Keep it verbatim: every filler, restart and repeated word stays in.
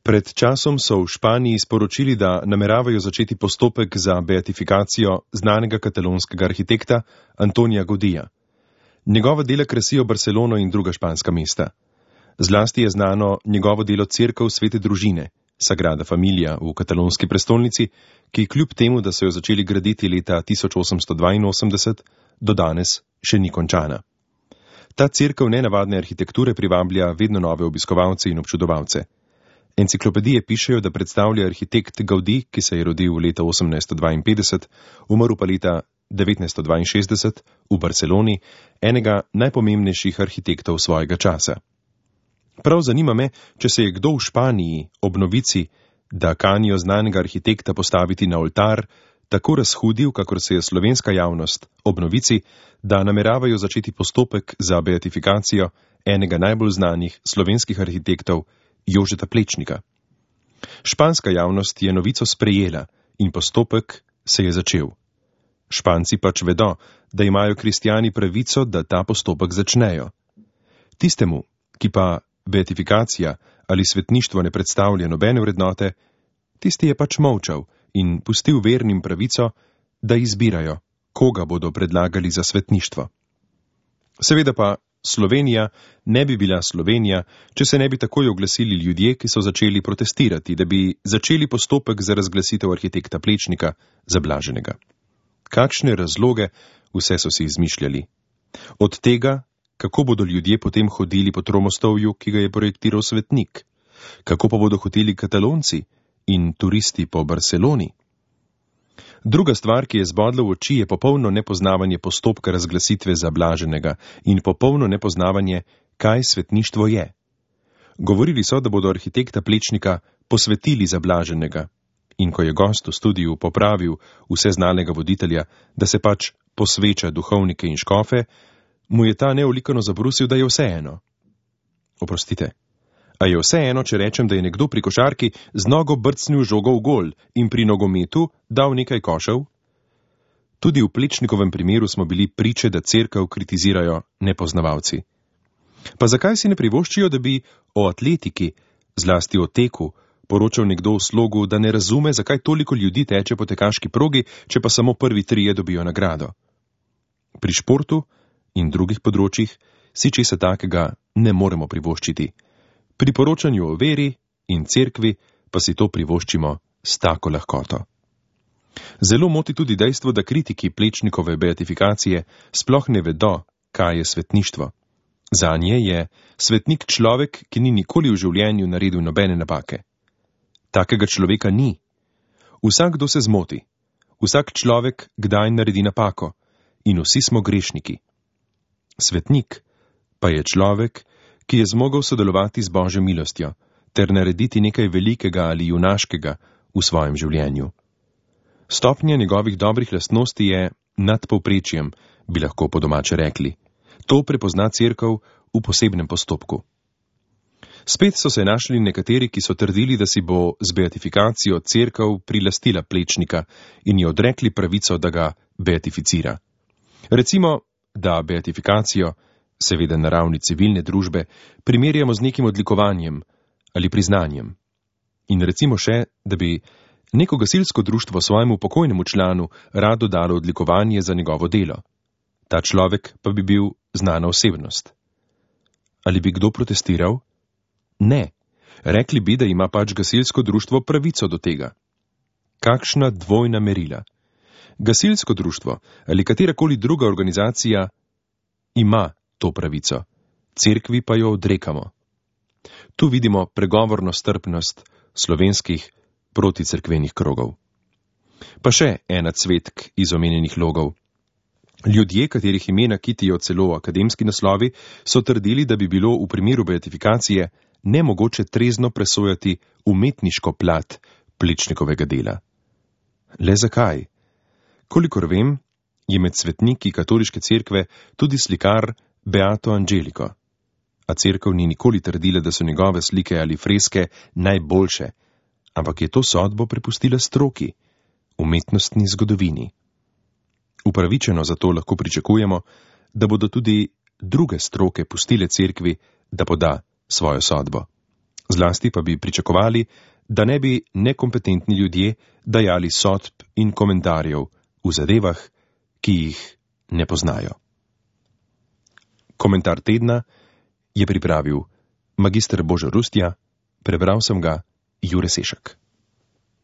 Pred časom so v Španiji sporočili, da nameravajo začeti postopek za beatifikacijo znanega katalonskega arhitekta Antonija Gaudija. Njegova dela krasijo Barcelono in druga španska mesta. Zlasti je znano njegovo delo Cerkev Svete družine, Sagrada Familia v katalonski prestolnici, ki kljub temu, da so jo začeli graditi leta tisoč osemsto dvainosemdeset, do danes še ni končana. Ta cerkev nenavadne arhitekture privablja vedno nove obiskovalce in občudovalce. Enciklopedije pišejo, da predstavlja arhitekt Gaudí, ki se je rodil leta osemnajststo dvainpetdeset, umrl pa leta devetnajststo dvainšestdeset v Barceloni, enega najpomembnejših arhitektov svojega časa. Prav zanima me, če se je kdo v Španiji ob novici, da kanijo znanega arhitekta postaviti na oltar, tako razhudil, kakor se je slovenska javnost ob novici, da nameravajo začeti postopek za beatifikacijo enega najbolj znanih slovenskih arhitektov, Jožeta Plečnika. Španska javnost je novico sprejela in postopek se je začel. Španci pač vedo, da imajo kristjani pravico, da ta postopek začnejo. Tistemu, ki pa beatifikacija ali svetništvo ne predstavlja nobene vrednote, tisti je pač molčal in pustil vernim pravico, da izbirajo, koga bodo predlagali za svetništvo. Seveda pa Slovenija ne bi bila Slovenija, če se ne bi takoj oglasili ljudje, ki so začeli protestirati, da bi začeli postopek za razglasitev arhitekta Plečnika za blaženega. Kakšne razloge vse so si izmišljali. Od tega, kako bodo ljudje potem hodili po Tromostovju, ki ga je projektiral svetnik, kako pa bodo hoteli Katalonci in turisti po Barceloni. Druga stvar, ki je zbodla v oči, je popolno nepoznavanje postopka razglasitve za blaženega in popolno nepoznavanje, kaj svetništvo je. Govorili so, da bodo arhitekta Plečnika posvetili za blaženega. In ko je gost v studiu popravil vse znanega voditelja, da se pač posveča duhovnike in škofe, mu je ta neolikano zabrusil, da je vseeno. Oprostite, a je vseeno, če rečem, da je nekdo pri košarki z nogo brcnil žogo v gol in pri nogometu dal nekaj košev? Tudi v Plečnikovem primeru smo bili priče, da cerkev kritizirajo nepoznavalci. Pa zakaj si ne privoščijo, da bi o atletiki, zlasti o teku, poročal nekdo v slogu, da ne razume, zakaj toliko ljudi teče po tekaški progi, če pa samo prvi trije dobijo nagrado? Pri športu in drugih področjih si česa takega ne moremo privoščiti. Pri poročanju o veri in cerkvi pa si to privoščimo s tako lahkoto. Zelo moti tudi dejstvo, da kritiki Plečnikove beatifikacije sploh ne vedo, kaj je svetništvo. Zanje je svetnik človek, ki ni nikoli v življenju naredil nobene napake. Takega človeka ni. Vsakdo se zmoti. Vsak človek kdaj naredi napako. In vsi smo grešniki. Svetnik pa je človek, ki je zmogel sodelovati z Božjo milostjo ter narediti nekaj velikega ali junaškega v svojem življenju. Stopnja njegovih dobrih lastnosti je nad povprečjem, bi lahko po domače rekli. To prepozna cerkev v posebnem postopku. Spet so se našli nekateri, ki so trdili, da si bo z beatifikacijo cerkev prilastila Plečnika in ji odrekli pravico, da ga beatificira. Recimo, da beatifikacijo, seveda na ravni civilne družbe, primerjamo z nekim odlikovanjem ali priznanjem. In recimo še, da bi neko gasilsko društvo svojemu pokojnemu članu rado dalo odlikovanje za njegovo delo. Ta človek pa bi bil znana osebnost. Ali bi kdo protestiral? Ne. Rekli bi, da ima pač gasilsko društvo pravico do tega. Kakšna dvojna merila. Gasilsko društvo ali katerakoli druga organizacija ima to pravico, cerkvi pa jo odrekamo. Tu vidimo pregovorno strpnost slovenskih proticerkvenih krogov. Pa še ena cvetk iz omenjenih logov. Ljudje, katerih imena kitijo celo akademski naslovi, so trdili, da bi bilo v primeru beatifikacije nemogoče trezno presojati umetniško plat Plečnikovega dela. Le zakaj? Kolikor vem, je med svetniki katoliške cerkve tudi slikar Beato Angelico, a cerkev ni nikoli trdila, da so njegove slike ali freske najboljše, ampak je to sodbo prepustila stroki, umetnostni zgodovini. Upravičeno zato lahko pričakujemo, da bodo tudi druge stroke pustile cerkvi, da poda svojo sodbo. Zlasti pa bi pričakovali, da ne bi nekompetentni ljudje dajali sodb in komentarjev v zadevah, ki jih ne poznajo. Komentar tedna je pripravil magister Božo Rustja, prebral sem ga Jure Sešek.